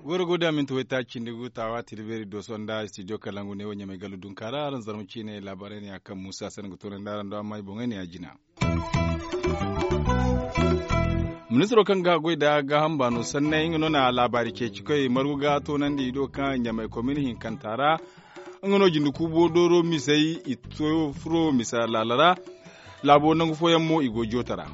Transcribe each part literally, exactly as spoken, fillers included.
Goro goda minti wayta cindi gu tawa tilberi doso nda studio kalangu ne wo ɲamay galu dunka ra aran zarma ciine laabaarey ne ya kaŋ musa sanda ga toonandi araŋ do amma i boŋey ne ya jina. Ministiro kaŋ ga goy nda gaaham baano sanney nga no na laabaari ceeci koy margu ga toonandi i do kaŋ ɲamay komin hinkanta ra. Nga no jinde kuubo dooro misey i to furo misa laala ra. Laabo nangu fooyaŋ mo i go joota ra.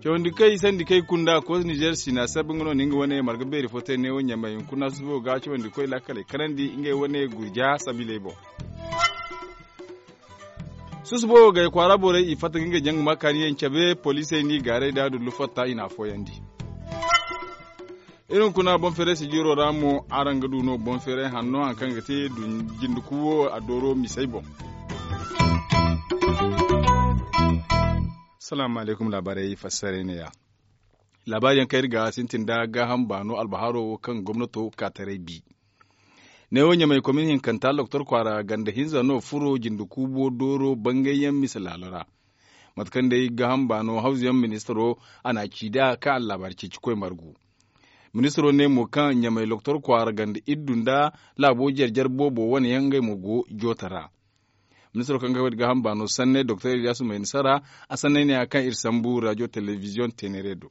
Cawandi kay sandi kay kunda koos nizer sina sabi nga no na nga wane marga beeri fo te neewo ɲamay hunkuna susubo ga cawandi koy laakaley kanandi ngey wane gurja sabiley boŋ. Susubo gay kwaara borey i fatta ga ngey jaŋ ga ma kaani yaŋ cabe poliisey n'i gaaray da dullu fatta i n'a fooyandi. Iri hunkuna boŋ feeray sijiro ra mo araŋ ga du no boŋ feeray hanno hari kaŋ ga te jinde kuwo a dooro misey boŋ. Salaamu alaykum laabaarey fassaray ne ya. Laabaari yaŋ kaŋ iri ga sintin nda gaaham baano albaharo wo kaŋ gomnato ka taray bi. Neewo ɲamay komin hinkanta loktor kwaara ganda hinza no furo jinde kuubo dooro bangayyaŋ mise laalo ra. Mate kaŋ day gaaham baano hawzuyaŋ ministiro a n'a ci nd'a kaŋ a laabaari ceeci koy margu. Ministiro ne mo kaŋ ɲamay loktor kwaara ganda iddu nda laabo jare-jare boobo wane yaŋ ngey mo go joota ra. Ministiro kaŋ ga wayda gaaham baano sanney doktor iliyasu mayni sara a sanney ne ya kaŋ iri sambu rajo telebiziyoŋ teenere do.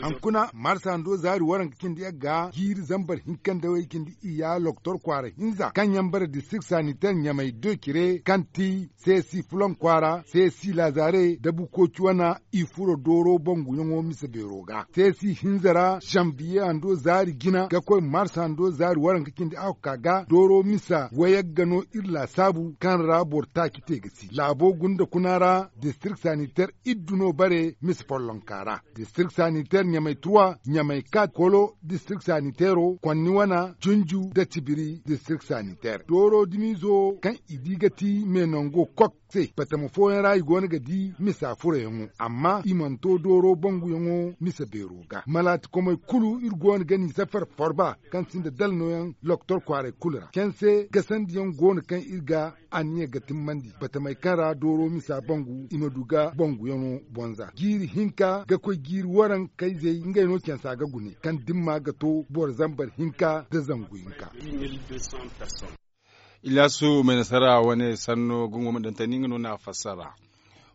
Hankuna marsa ndo zaari waranka cindi yagga jiiri zambar hinka nda way cindi iyya loktor kwaara hinza kaŋ yaŋ bare district sanitaire ɲamay do cire kaŋ ti seesi fulan kwaara seesi laazare da bukooci wana i furo dooro banguyaŋo mise beero ga seesi hinza ra zanbiye hando zaari jina ga koy marsa ndo zaari waranka cindi ahokka ga dooro misa wayagga no iri laasaabu kaŋ ra boro taaci te ga si laabo gunda kuna ra district sanitaire iddu no bare mise follonka ra district sanitaire ɲamay trois ɲamay quatre kolo district sanitairo konni wana junju da tibiri district sanitaire dooro dimizo kaŋ i di ga ti me nango kok se batama fooyaŋ ra i go no ga di misa furayaŋo amma i mana to dooro banguyaŋo misa beero ga malaati komey kulu iri go no ga n'i safar forba kaŋ sinda dala nooyaŋ loktor kwaaray kulu ra canse gasandiyaŋ go no kaŋ iri ga anniya ga timmandi batamey kaŋ ra dooro misa bangu i ma du ga banguyaŋo bonza jiiri hinka ga koy jiiri waranka izey ngey no cansa ga gune kaŋ dimma ga to boro zambar hinka nda zangu hinka. Ilyasu mai nasara wane sanno gungo ma dantani nga no na fassara.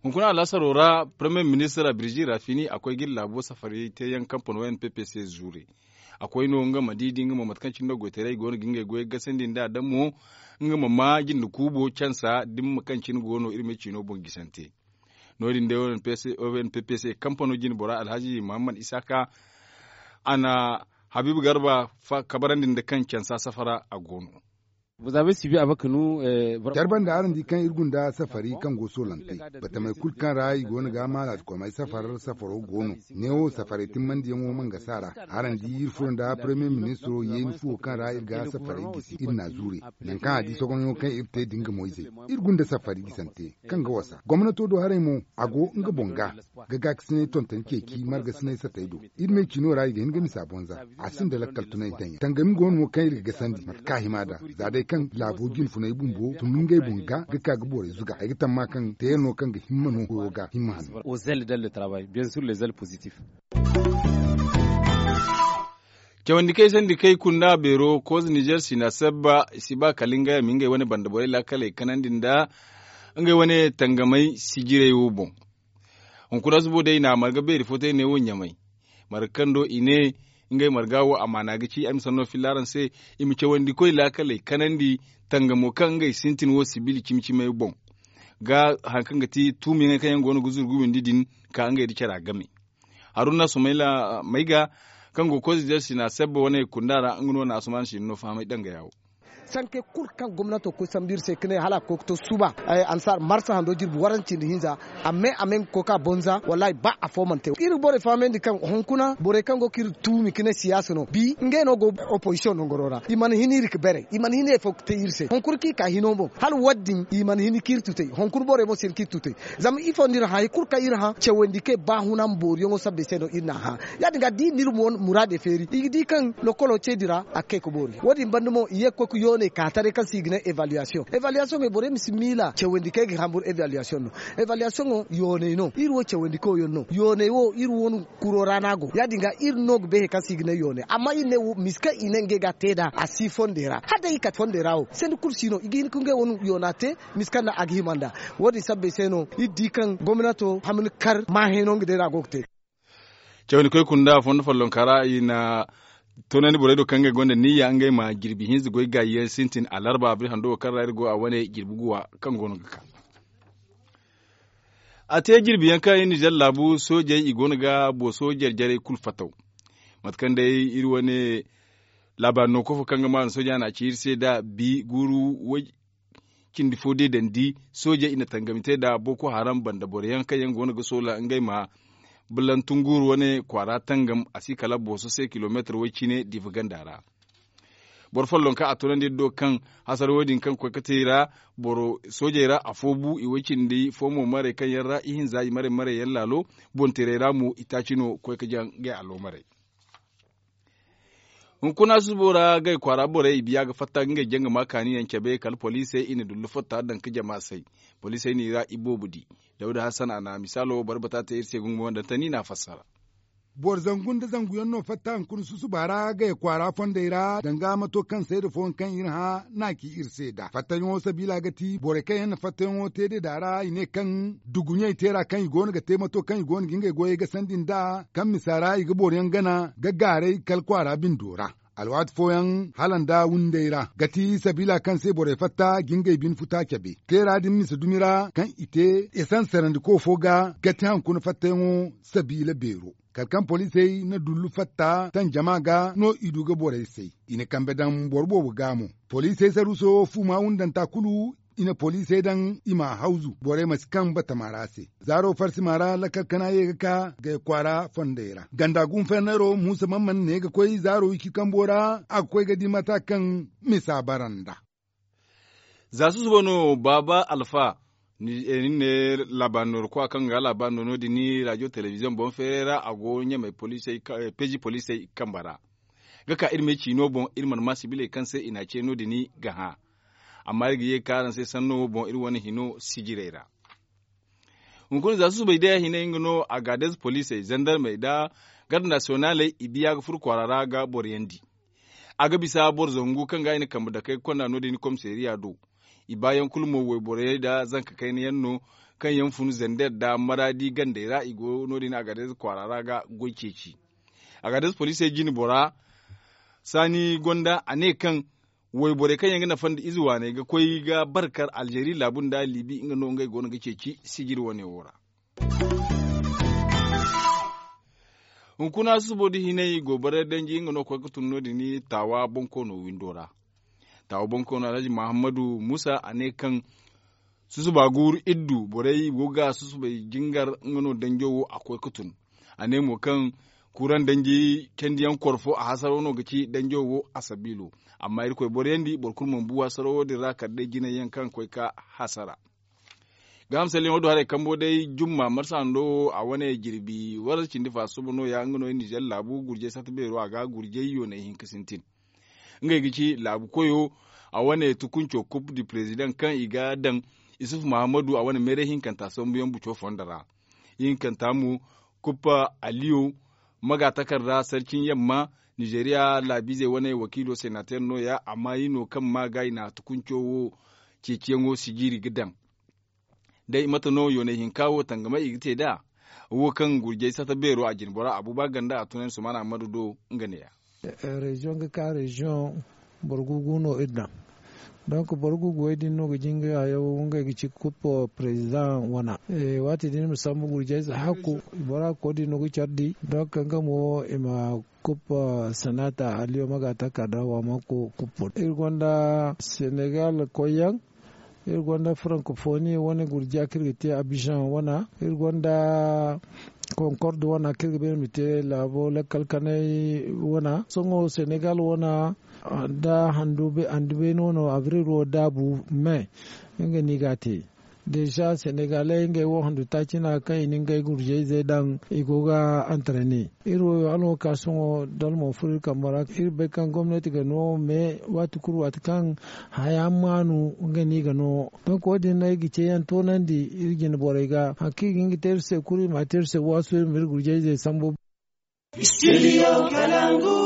Hunkuna alhasaro ra premier ministre birji rafini a koy gilla bo safari te yaŋ kampano n p p c zure a koy no nga ma di di nga mo mate kaŋ cine no goytaray go no ga ngey goy gasandi nda damo nga ma ma jinde kuubo cansa dimma kaŋ cine go no iri ma cino boŋ gisante. No- din day o n p p c kampano jine bora alhaji muhammad isaka a na habiibu garba kabarandi nda kaŋ cansa safara a go no. Care banda araŋ di kaŋ iri gunda safari kaŋ go soolante batamey kulu kaŋ ra i go no ga maalaati komey safar safaro go no. Neewo safaray timmandiyaŋo mangasa ra araŋ di iri furo nda premier ministro yeeni fuwo kaŋ ra iri ga safaray gisi iri n'a zuure. Nangu kaŋ a di sogonyaŋo kaŋ iri te da nga moyzey iri gunda safari gisante kaŋ ga wasa gomnato do haray mo a go nga boŋ ga ga gaakasinay tontoni ceeci margasinay satey do. Iri me cino ra i ga hin ga misa bonza a sinda lakkal tunay daŋ yaŋ tangami go no mo kaŋ iri ga gasandi mate kaŋ a hima nd'a za day kaŋ laabo jinfunay bumbo tun ngey boŋ ga ga ka ga borey zuga ay ga tamma kaŋ teyaŋ no kaŋ ga himma no koyo ga himma hanno. Cawandi kay sandi kay kunda beero koza nizer sina sabba i si ba kala ngey a ma ngey wane banda borey laakaley kanandi nda ngey wane tangamey sijirey wo boŋ. Hunkuna subo day i na a marga beeri fo te ne wo ɲamay marga kaŋ do i ne ngey marga wo amaana ga ci ay ma sanno filla araŋ se i ma cawandi koy laakaley kanandi tangamo kaŋ ngey sintin wo sibil cimi-cimey boŋ ga hari kaŋ ga ti tuumiyaŋey kaŋ yaŋ go no ga zuru ga windi din ka ngey nda cara game. Haruna sumayla mayga kaŋ go koy zizer sina sebba wane kunda ra nga no na asuman sina no fahamay danga yawo. Sanke kulu kaŋ gomnato koy sambu iri se ka ne hala a koy ga to suba ansar marsa hando jirbi waranci nda hinza a me a me nga koy ka bonza wallahi ba afo mana te iri borey fahamandi kaŋ hunkuna borey kaŋ go ka iri tuumi ka ne siyaasa no bi ngey no go opposition nangaro ra i mana hin iri ga beeray i mana hin afo ga te iri se hunkuna kaŋ i ka hino boŋ hala wadin i mana hin ka iri tutay hunkuna borey mo si hin ka iri tutay. Zama ifo no iri hã hari kulu kaŋ iri hã cawandi kay ba huna ma booriyaŋo sabbay se no iri n'a hã. Ya- din ga da iri na iri muraadey feeri i ga di kaŋ lokolo ce din ra a ga kay ga boori wo- din banda mo i ye ga koy ga Wane ka taray kaŋ se i ga ne evaluation evaluation borey ma si miila cawandi kaŋ ay ga hamburu evaluation no. Evaluation wo yoonay no iri wo cawandi koyyaŋ no yoonay wo iri wo no kuro ra no a go ya- din ga iri no ga bay hari kaŋ se i ga ne yoonay amma iri ne wo misa kaŋ i ne ngey ga a te nd'a a si fondey ra hala day i kate fondey ra wo sanda kulu si no i ga hin ka ngey wane yoona te. Misa kaŋ no a ga hima nd'a wo- din sabbay se no iri di kaŋ gomnato hamni kar maahay no nga day no a go ga te. Cawandi koy kunda fondo follonka ra i na toonandi borey do kaŋ ngey gonda niyya ngey ma jirbi hinza goy gaayi yaŋ sintin alarba biri hando wo kaŋ ra iri go a wane jirbi guwa kaŋ go no ga ka. A te jirbi yaŋ kaŋ iri nizer laabu soojey i go no ga booso jare jarey kulu fattaw. Mate kaŋ day iri wane laabaari no kofo kaŋ ga maanu sooja no a ci iri se nd'a bi guuru way cindi fo deedandi soojey i na tangami te nd'a boko haram banda boro yaŋ kaŋ yaŋ go no ga soola ngey ma bulantunguuru wane kwaara tangam a si kala booso se kilomeetar way cine diifa ganda ra. Boro follonka a toonandi iri do kaŋ hasara wo- din kaŋ koy ga te i ra boro soojey ra afo bu i way cindi fo mo marey kaŋ yaŋ ra ihinza i marey marey yaŋ laalo bonteerey ra mo i taaci no koy ga jaŋ ngey allo marey. Hunkuna susubo ra gay kwaara borey i biya ga fatta ga ngey jangama kaani yaŋ cabe kala poliisey i na dullu fatta daŋ ga jama say. Poliisey no i ra iboobo di. Dawda hassan a na misaalo boro bata te iri se gungumo nda tani no a fassara. Boro zangu nda zangu yaŋ no fatta hunkuna susuba ra gay kwaara fondey ra danga mato kaŋ sayda fooyaŋ kaŋ iri hã no a ci iri se nd'a fattayaŋo sabiila ga ti borey kaŋ yaŋ na fattayaŋo te deeda ra i ne kaŋ duguɲey teera kaŋ i go no ga te mato kaŋ i go no ga ngey goyey gasandi nd'a kaŋ misa ra i ga boroyaŋ gana ga gaaray kala kwaara bindo ra. Alwaati fooyaŋ hala nda windey ra ga ti sabiila kaŋ se borey fatta ga ngey bine futa cabe teera din misa dumi ra kaŋ i te esanserandiko fo ga ga ti hankuna fattayaŋo sabiila beero. Kala kaŋ poliisey na dullu fatta taŋ jama ga no i du ga borey say. I na kambe daŋ boro boobo ga mo poliisey saruuso fuuma wundanta kulu i na poliisey daŋ i m'a hawzu borey ma si kaŋ batama ra se. Zaaro farsima ra lakkal kana ye ga ka gay kwaara fondey ra ganda gunfernero muusa mamman ne ga koy zaaro wiki kambo ra a ga koy ga di mata kaŋ misa bara nd'a. Za susuba no baaba alfa ni ne laabaari nooru kowa kaŋ ga laabaari no no- din rajo telebiziyoŋ boŋ feeray ra a go ɲamey peeji poliisey kamba ra. Ga ka iri me ciino boŋ iri mana ma sibiley kaŋ se i n'a ce no- din ga hã. Amma iri ga ye ga ka araŋ se sanno wo boŋ iri wane hino sijirey ra. Hunkuna za susubay day a hinay nga no agaadez poliisey zandarmey nda garda nasiyonaaley i biya ga furo kwaara ra ga boro yaŋ di. A ga bisa boro zangu kaŋ ga i na kambe dakey ga konda no- din komiseeriya do. I baayaŋ kulu mo wayborey nda zanka kayna yaŋ no kaŋ yaŋ fun zander nda maraadi gandey ra i go no- din agaadez kwaara ra ga goy ceeci. Agaadez poliisey jine bora saani gonda a ne kaŋ wayborey kaŋ yaŋ ga nafa nda ize waaney ga koy ga barkar alzeeri laabu nda liibi nga no ngey go no ga ceeci sijiri wane wo ra. Hunkuna susubo da hinay gobaray danji nga no koy ga tun no- din taawa bonkoono windo ra. Taawa bonkoono alhaji mahammadu muusa a ne kaŋ susuba guuru iddu borey go ga susubay jingar nga no danjo wo a koy ga tun. A ne mo kaŋ kuuraŋ danji candiyaŋ korfo a hasaro no ga ci danjo wo a sabiilo. Amma irkoy boroyandi boro kulu mana bu hasaro wo- din ra kala day jinay yaŋ kaŋ koy ga hasara. Ga hamsalyaŋo do haray kambo day jumma marsa hando wo a wane jirbi warza cindi fa suba no- ya nga no nizer laabu gurjay sata beero a ga gurjay yoonay hinka sintin. Ngey ga ci laabu koyo a wane tukunco kup du perezidaŋ kaŋ i ga daŋ isufu mahammadu a wane meeray hinkanta sambuyaŋ buco fondo ra. Ihinkanta mo kuppa aliyo maga takarda sarcin yamma nizeriya laabiizey wane wakiilo senater no- ya amma i no kaŋ ma ga i na tukunco wo ceeciyaŋo sijiri ga daŋ. Day mate no yoonay hinka wo tangamay i ga te nd'a wo kaŋ gurjay sata beero a jine bora abuba ganda a tunandi sumana ammadu do nga ne- ya. Reziyoŋ ga ka reziyoŋ boro gugu no iri daŋ. Donk boro gugu wey din no ga jinga hayo ngey ga ci kup perezidaŋ wana. Waati din ma sambu gurjay za hakku bora ga koy din no ga care di donk nga mo i ma kup sanata aliyo maga takarda wa ma kup. Iri gonda senegal koyyaŋ iri gonda frankofoni wane gurja kaŋ iri ga te abizaŋ wana iri gonda konkord wana kaŋ iri ga beene ma te laabo lakkal kanay wana sohõ senegal wana. Da handu beene wano abril wo daabu me nga no i ga a te. Deeza senegaley ngey wo handu taaci no a kaŋ i na ngey gurjayzey daŋ i go ga antarene. Iri wo hala wo ga ka sohõ dalmo furo iri kambe ra iri bay kaŋ gomnati ga no me waati kulu waati kaŋ haya maanu nga no i ga no. Donk wo- din no ay ga ceeyaŋ toonandi iri jine borey ga hari kaŋ i ga hin ga te iri se kulu i ma a te iri se waasu iri ma iri gurjayzey sambu. Studio kalangu.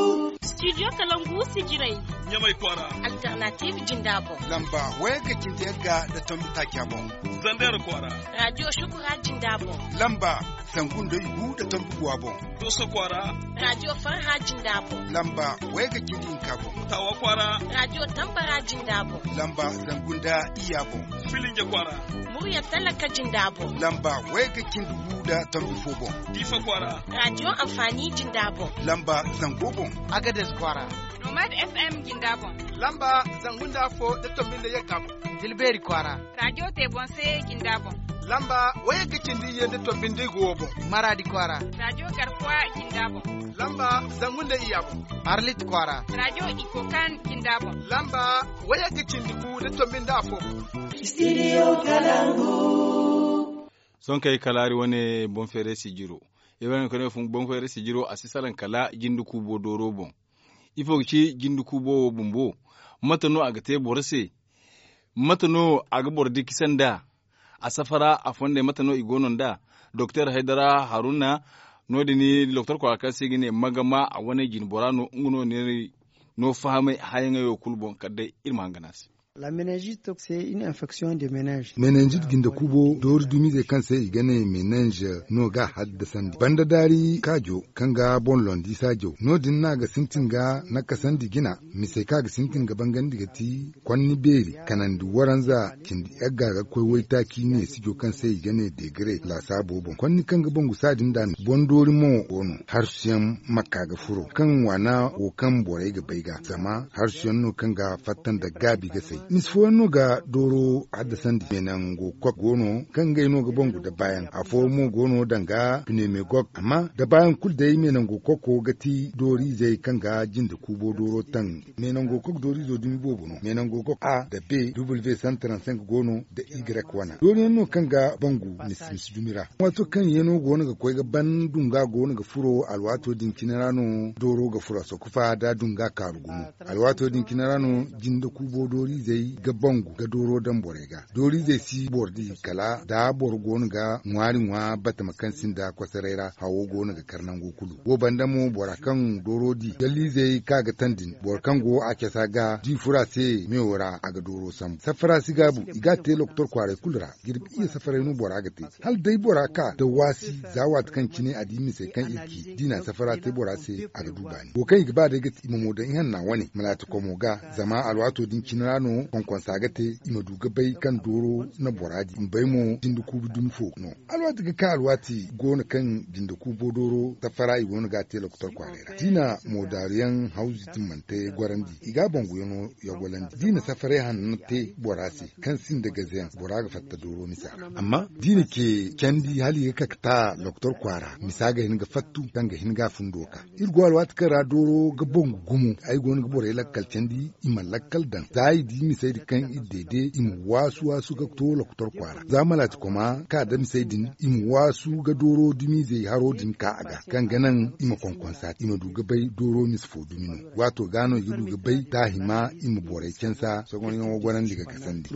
Studio kalangu sijirey. Ɲamay kwaara. Alternative jinda boŋ. Lamba wayagga cindi yagga nda tombi taaca boŋ. Zander kwaara. Radio shukura jinda boŋ. Lamba zangu nda igu nda tombi guwa boŋ. Doso kwaara. Radio farha jinda boŋ. Lamba wayagga cindi hinka boŋ. Tawa kwaara. Radio tambara jinda boŋ. Lamba zangu nda iyya boŋ. Filinja kwaara. Murya talaka jinda boŋ. Lamba wayagga cindi gu nda tombi fo boŋ. Diifa kwaara. Radio amfani jinda boŋ. Lamba zango boŋ. Agades kwaara. Nomad FM jinda boŋ. Lamba zangu nda afo nda tombi nda yagga boŋ. Tilbeeri kwaara. Radio tebonse jinda boŋ. Lamba wayagga cindi iyye nda tombi nda igo boŋ. Maradi kwaara. Radio garkuwa jinda boŋ. Lamba zangu nda iyya boŋ. Arlit kwaara. Radio ikokan jinda boŋ. Lamba wayagga cindi gu nda tombi nda afo boŋ. Studio kalangu. Sohõ kay kala hari wane boŋ feeray sijiro. Iri wane kone boŋ feeray sijiro a si salaŋ kala jinde kuubo dooro boŋ. Ifo ga ci jinde kuubo wo bumbo? Mate no a ga te boro se? Mate no a ga boro dikisa nda a safara a fondey mate no i go no nda? Doktor haydara haruna no- din doktor kwaara kaŋ se i ga ne magama a wane jine bora no nga no n'iri no fahamay hayaŋey wo kulu boŋ kala day iri ma hangan a se. Menenjit jinde kuubo doori dumiizey kaŋ se i ga ne menenj no ga a haddasandi banda daari kaajo kaŋ ga boŋ londi saajo no- din no a ga sintin ga nakasandi jina. Misey kaŋ a ga sintin ga bangandi ga ti konni beeri kanandi waranza cindi yagga ga koy waytaaci neesijo kaŋ se i ga ne degre laasaabo boŋ konni kaŋ ga bangu saa din da no boŋ doori mo go no harsuyaŋ ma ka ga furo kaŋ waana wo kaŋ borey ga bay ga zama harsuyaŋ no kaŋ ga fatta nda gaabi ga say misi fooyaŋ no ga dooro haddasandi meenango kok go no kaŋ ngey no ga bangu dabaayaŋ afooyaŋ mo go no danga pinemegok amma dabaayaŋ kulu day meenango koko ga ti dooriizey kaŋ ga jinde kuubo dooro taŋ. Meenango kok dooriizo dumi boobo no meenango kok a nda b w santaransenk go no nda y wana dooriyaŋ no kaŋ ga bangu misi misi dumi ra. Waato kaŋ yeeno go no ga koy ga ban dunga go no ga furo alwaato din cine ra no dooro ga furo a sokofa da dunga kaaru gumo. Alwaato din cine ra no jinde kuubo dooriizey ga bangu ga dooro daŋ borey ga dooriizey si boro di kala da boro go no ga ŋwaari ŋwa batama kaŋ sinda kosoray ra hawo go no ga kar nango kulu wo banda mo bora kaŋ dooro di galliizey kaŋ a ga taŋ din boro kaŋ go a casa ga di furo a se meewo ra a ga dooro sambu safara si gaabu i ga a te lokotor kwaaray kulu ra jirbi iyye safaray no bora ga te hala day bora ka da waasi za waati kaŋ cine a di misey kaŋ iri ci da i na safara te bora se a ga du baani wo kaŋ i ga ba day ga ti i ma mo daŋ ihanna wane malaati komo ga zama alwaato din cine ra no konkonsa ga te i ma du ga bay kaŋ dooro na bora di i ma bay mo jinde kuubu dumi fo no. Alwaati ga ka alwaati go no kaŋ jinde kuubo dooro safara i go no ga a te lokotor kwaaray ra da i na moodaaruyaŋ hawzu timmante gorandi i ga a banguyaŋo yagolandi da i na safaray hanno te bora se kaŋ sinda gazeyaŋ bora ga fatta dooro misa ra amma da i na ce candi hala i ga ka ga ta lokotor kwaara misa ga hin ga fattu kaŋ ga hin ga a fundo ka iri go alwaati kaŋ ra dooro ga bangu gumo ay go no ga borey lakkal candi i ma lakkal daŋ za i di misey din kaŋ iri deede i ma waasu waasu ga to lokotor kwaara za malaati koma ka da misey din i ma waasu ga dooro dumiizey haro din ka a ga kaŋ ga naŋ i ma konkonsa i ma du ga bay dooro mise fo dumi no waato ga no i ga du ga bay da a hima i ma borey cansa sogonyaŋo gorandi ga kasandi.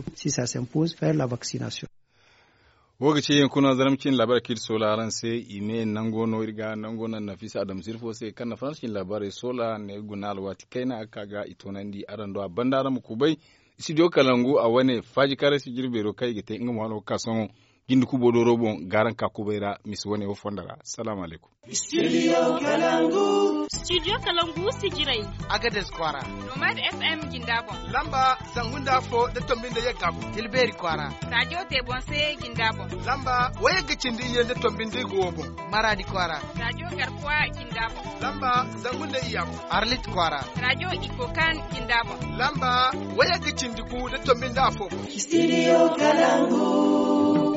Wo ga ci yankuna zarma cine laabaarey kaŋ iri soola araŋ se i me nango no iri ga nango naŋ nafisa adama sirfo se kaŋ na faransa cine laabaarey soola ne guna alwaati kayna a ga ka ga i toonandi araŋ do a banda araŋ ma kubay. Studio kalangu a wane faaji kaarey si jirbeero kaŋ i ga te nga mo hano ga ka sohõ jinde kuubo dooro boŋ ga araŋ ka kubay ra misi wane wo fonda ra. Salaamu alaykum. Studio kalangu. Studio kalangu sijirey. Agades kwaara. Nomad FM jinda boŋ. Lamba zangu nda afo da tombi nda yagga boŋ. Tilbeeri kwaara. Radio tebonse jinda boŋ. Lamba wayagga cindi iyye nda tombi nda igo boŋ. Maradi kwaara. Radio garkuwa jinda boŋ. Lamba zangu nda iyya boŋ. Arlit kwaara. Radio ikokan jinda boŋ. Lamba wayagga cindi gu da tombi nda afo boŋ. Studio kalangu.